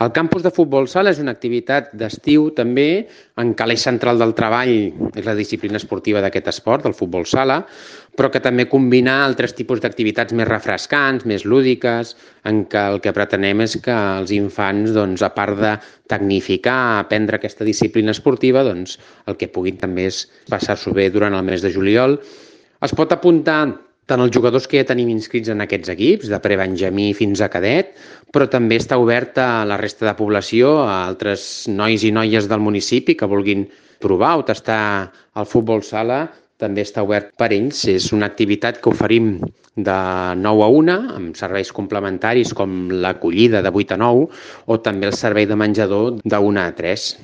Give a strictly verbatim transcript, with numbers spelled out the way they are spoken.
El campus de futbol sala és una activitat d'estiu també en què l'eix central del treball és la disciplina esportiva d'aquest esport, del futbol sala, però que també combina altres tipus d'activitats més refrescants, més lúdiques, en què el que pretenem és que els infants, doncs, a part de tecnificar, aprendre aquesta disciplina esportiva, doncs, el que puguin també és passar-s'ho bé durant el mes de juliol. Es pot apuntar tant els jugadors que ja tenim inscrits en aquests equips, de prebenjamí fins a cadet, però també està obert a la resta de població, a altres nois i noies del municipi que vulguin provar o tastar el futbol sala, també està obert per ells. És una activitat que oferim de nou a una, amb serveis complementaris com l'acollida de vuit a nou, o també el servei de menjador de una a tres.